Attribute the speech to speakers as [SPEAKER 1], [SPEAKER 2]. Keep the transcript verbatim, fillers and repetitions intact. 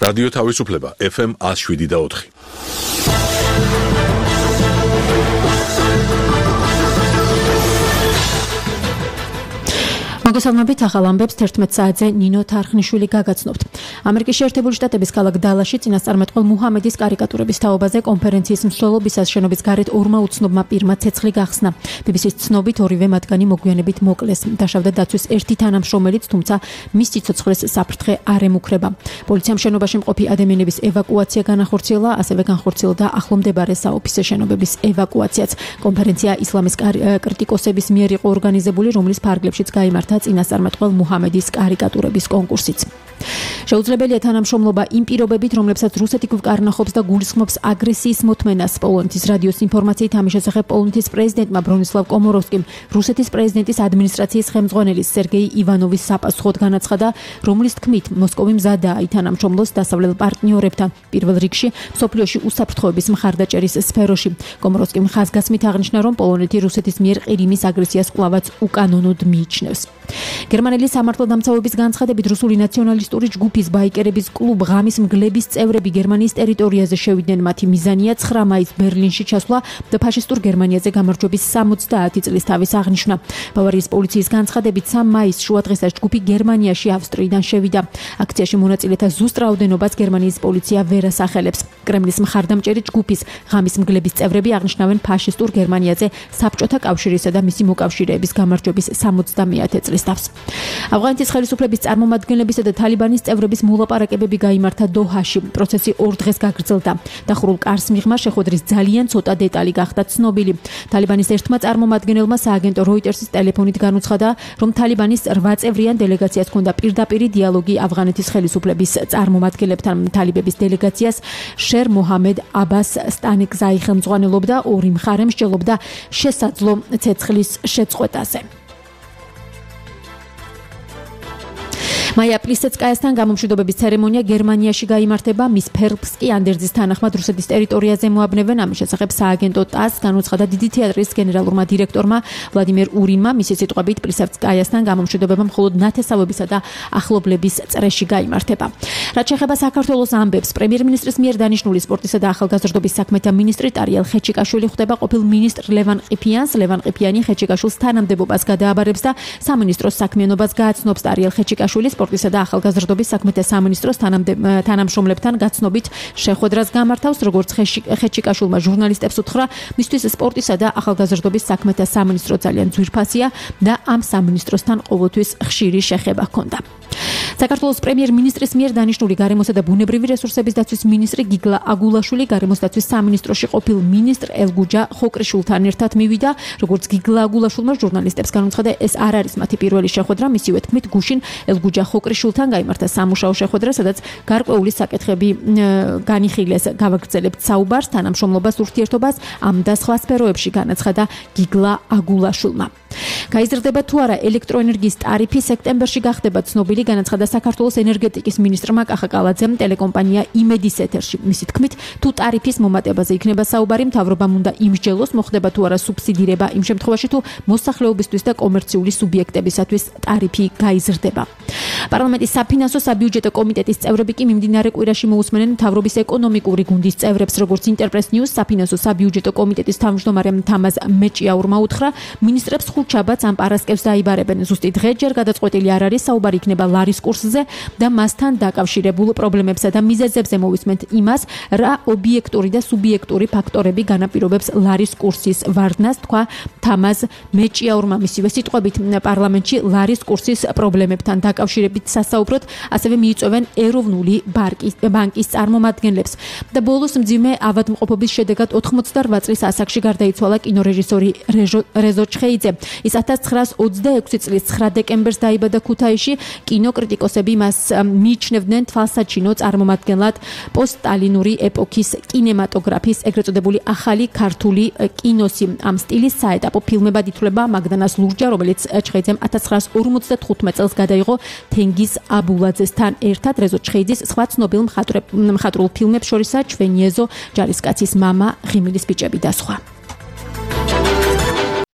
[SPEAKER 1] რადიო თავისუფლება ეფ ემ one oh seven და four.
[SPEAKER 2] მოგესალმებით, ახალ ამბებს თერთმეტ საათზე ნინო თარხნიშვილი გაგაცნობთ. ამერიკის შეერთებული შტატების ქალაქ დალასში წინასწარმეტყველ მუჰამედის კარიკატურების თაობაზე კონფერენციის მსვლელობისას შენობის გარეთ ორმა უცნობმა პირმა ცეცხლი გახსნა. ბი ბი სის ცნობით ორივე მათგანი მოგვიანებით მოკლეს. დაშავდა დაცვის ერთი თანამშრომელიც, თუმცა მის სიცოცხლეს საფრთხე არ ემუქრება. პოლიციამ შენობაში მყოფი ადამიანების ევაკუაცია განახორციელა, ასევე განხორციელდა ახლომდებარე საოფისე შენობების ევაკუაციაც. კონფერენცია ისლამის კრიტიკოსების მიერ იყო ორგანიზებული, რომლის ფარგლებშიც გაიმართა წინასწარმეტყველ მუჰამედის კარიკატურების კონკურსიც. შეუძლებელია თანამშრომლობა იმ პირობებით, რომლებსაც რუსეთი გვკარნახობს და გულისხმობს აგრესიის მოთმენას. პოლონეთის რადიოს ინფორმაციით ამის შესახებ პოლონეთის პრეზიდენტმა ბრონისლავ კომოროვსკიმ რუსეთის პრეზიდენტის ადმინისტრაციის ხელმძღვანელის სერგეი ივანოვის საპასუხოდ განაცხადა, რომლის თქმით მოსკოვი მზადაა ითანამშრომლოს დასავლელ პარტნიორებთან, პირველ რიგში მსოფლიოში უსაფრთხოების მხარდაჭერის სფეროში. კომოროვსკიმ ხაზგასმით აღნიშნა, რომ პოლონეთი რუსეთის მიერ ყირიმის აგრესიას კვლავაც უკანონოდ მიიჩნევს. გერმანელი სამართალდამცავების განცხადებით რუსული ნაციონალისტური ჯგუფის ბაიკერების კლუბ ღამის მგლების წევრები გერმანიის ტერიტორიაზე შევიდნენ. მათი მიზანია ცხრა მაისს ბერლინში ჩასვლა და ფაშისტურ გერმანიაზე გამარჯვების სამოცდაათი წლის თავის აღნიშვნა. ბავარიის პოლიციის განცხადებით სამ მაისს შუადღესაც ჯგუფი გერმანიაში ავსტრიიდან შევიდა. აქციაში მონაწილეთა ზუსტ რაოდენობას გერმანიის პოლიცია ვერ ასახელებს. კრემლის მხარდამჭერი ჯგუფის ღამის მგლების წევრები აღნიშნავენ ფაშისტურ გერმანიაზე საბჭოთა კავშირისა და მისი მოკავშირეების გამარჯვების სამოცდამეათე წლის თავს. ავღანეთის ხელისუფლების წარმომადგენლებისა და თალიბანის წევრების მოლაპარაკებები გაიმართა დოჰაში. პროცესი ორ დღეს გაგრძელდა. დახურულ კარს მიღმა შეხვედრის ძალიან ცოტა დეტალი გახდა ცნობილი. თალიბანის ერთმა წარმომადგენელმა სააგენტო როიტერსის ტელეფონით განუცხადა, რომ თალიბანის რვა წევრიან დელეგაციას ჰქონდა პირდაპირი დიალოგი ავღანეთის ხელისუფლების წარმომადგენლებთან. თალიბების დელეგაციას შერ მოჰამედ აბას სტანიკზაი ხელმძღვანელობდა, ორი მხარე მსჯელობდა შესაძლო ცეცხლის შეწყვეტაზე. მაია პლისეცკაიასთან გამომშვიდობების ცერემონია გერმანიაში გაიმართება. მის ფერბს კი ანდერძის თანახმად რუსეთის ტერიტორიაზე მოაბნევენ. ამის შესახებ სააგენტო ტას განუცხადა დიდი თეატრის გენერალურმა დირექტორმა ვლადიმერ ურინმა. მისი სიტყვებით პლისეცკაიასთან გამომშვიდობება მხოლოდ ნათესავებისა და ახლობლების წრეში გაიმართება. რაც შეეხება საქართველოს ამბებს, პრემიერ-მინისტრის მიერ დანიშნული სპორტისა და ახალგაზრდობის საქმეთა მინისტრი ტარიელ ხეჩიკაშვილი ხვდება ყოფილ მინისტრ ლევან ყიფიანს. ლევან ყიფიანი ხეჩიკაშვილს თანამდებობას გადააბარებს და სამინისტროს საქმიანობას გააცნობს. ტარიელ ხეჩიკაშვილი სპორტისა და ახალგაზრდობის საქმეთა სამინისტროს თანამშრომლებთან გაცნობით შეხვედრას გამართავს. როგორც ხეჩიკაშვილმა ჟურნალისტებს უთხრა, მისთვის სპორტისა და ახალგაზრდობის საქმეთა სამინისტრო ძალიან ძვირფასია და ამ სამინისტროსთან ყოველთვის ხშირი შეხება ჰქონდა. საქართველოს პრემიერ-მინისტრის მიერ დანიშნული გარემოსა და ბუნებრივი რესურსების დაცვის მინისტრი გიგლა აგულაშვილი გარემოს დაცვის სამინისტროში ყოფილ მინისტრ ელგუჯა ხოკრიშვილთან ერთად მივიდა. როგორც გიგლა აგულაშვილმა ჟურნალისტებს განუცხადა, ეს არ არის მათი პირველი შეხვედრა. მისივე თქმით, გუშინ ელგუჯა ხოკრიშვილთან გაიმართა სამუშაო შეხვედრა, სადაც გარკვეული საკითხები განიხილეს. გავაგრძელებთ საუბარს, თანამშრომლობას, ურთიერთობას ამ და სხვა სფეროებში, განაცხადა გიგლა აგულაშვილმა. გაიზრდება თუ არა ელექტროენერგიის ტარიფი სექტემბერში გახდება ცნობილი, განაცხადა საქართველოს ენერგეტიკის მინისტრმა კახა კალაძემ ტელეკომპანია იმედის ეთერში. მისი თქმით, თუ ტარიფის მომატებაზე იქნება საუბარი, მთავრობამ უნდა იმსჯელოს, მოხდება თუ არა სუბსიდირება იმ შემთხვევაში, თუ მოსახლეობისთვის და კომერციული სუბიექტებისათვის ტარიფი გაიზრდება. პარლამენტის საფინანსო საბიუჯეტო კომიტეტის წევრები კი მიმდინარე კვირაში მოусმენენ მთავრობის ეკონომიკური გუნდის წევრებს. როგორც ინტერპრეს ნიუს საფინანსო საბიუჯეტო კომიტეტის თავმჯდომარემ თამაზ მეჭიაურმა უთხრა, მინისტრებს ხუთშაბათს ამ პარასკევს დაიბარებენ. ზუსტი დღე ჯერ გადაწყვეტილი არ არის, საუბარი იქნება ლარის კურსზე და მასთან დაკავშირებულ პრობლემებსა და მიზეზებზე. მოვისმენთ იმას, რა ობიექტური და სუბიექტური ფაქტორები განაპირობებს ლარის კურსის ვარდნას, თქვა თამაზ მეჭიაურმა. მისივე სიტყვებით, პარლამენტში ლარის კურსის პრობლემებთან დაკავშირებით სასაუბროდ ასევე მიიწვევენ ეროვნული ბანკის წარმომადგენლებს. და ბოლოს მძიმე ავადმყოფობის შედეგად ოთხმოცდარვა წლის ასაკში გარდაიცვალა კინორეჟისორი რეზო ჩხეიძე. ის ათას ცხრაას ოცდაექვსი წლის ცხრა დეკემბერს დაიბადა ქუთაისში. კინოკრიტიკოსები მას მიიჩნევდნენ თვალსაჩინო წარმომადგენლად პოსტსტალინური ეპოქის კინემატოგრაფის ეგრეთ წოდებული ახალი ქართული კინოსი. ამ სტილის საეტაპო ფილმებად ითვლება მაგდანას ლურჯა, რომელიც ჩხეიძემ ათას ცხრაას ორმოცდათხუთმეტ წელს გადაიღო თენგიზ აბულაძესთან ერთად. რეზო ჩხეიძის სხვა ცნობილ მხატვრულ ფილმებს შორისაა ჩვენი ეზო, ჯარისკაცის მამა, ღიმილის ბიჭები და სხვა.